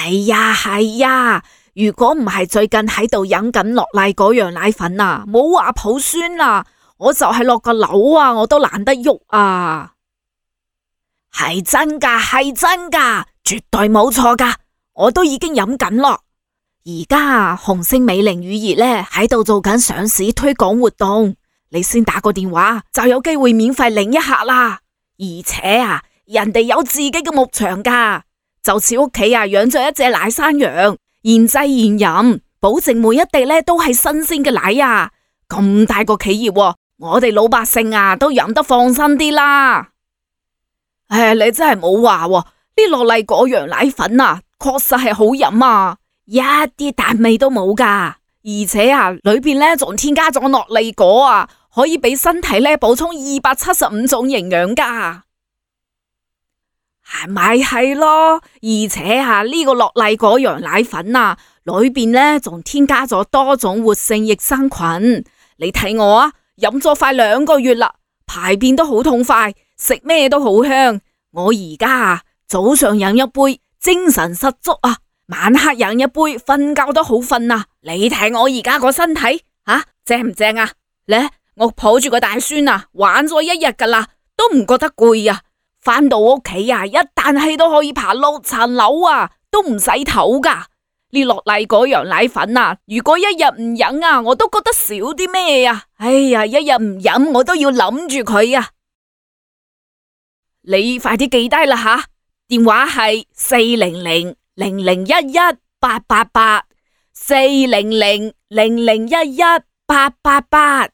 係呀，如果唔係最近喺度飲緊樂麗嗰樣奶粉啊，冇話抱孫啊，我就係落個樓啊，我都懶得喐啊。係真噶，絕對冇錯噶，我都已經飲緊咯。而家紅星美齡乳業咧喺度做緊上市推廣活動，你先打個電話就有機會免費領一客啦。而且啊，人哋有自己嘅牧場噶，就似屋企啊養咗一隻奶山羊，現製現飲，保證每一滴咧都係新鮮嘅奶啊。咁大個企業，我哋老百姓啊都飲得放心啲啦。你真係冇話喎，呢樂麗果羊奶粉啊，確實係好飲啊，一啲淡味都冇噶，而且啊裏邊咧仲添加咗樂麗果啊，可以俾身體咧補充275種營養噶，係咪係咯？而且啊呢個樂麗果羊奶粉啊，裏邊咧仲添加咗多種活性益生菌，你睇我啊，飲咗快2個月啦，排便都好痛快。食咩都好香，我而家啊早上飲一杯精神十足啊，晚黑飲一杯瞓覺都好瞓啊！你睇我而家個身體正唔正啊？咧我抱住個大孫啊，玩咗一日噶啦，都唔覺得攰啊！翻到屋企啊，一啖氣都可以爬6層樓啊，都唔使唞噶。呢樂麗嗰樣奶粉啊，如果一日唔飲啊，我都覺得少啲咩啊！哎呀，一日唔飲我都要諗住佢啊！你快啲記低啦吓，電話係400001188840000118888。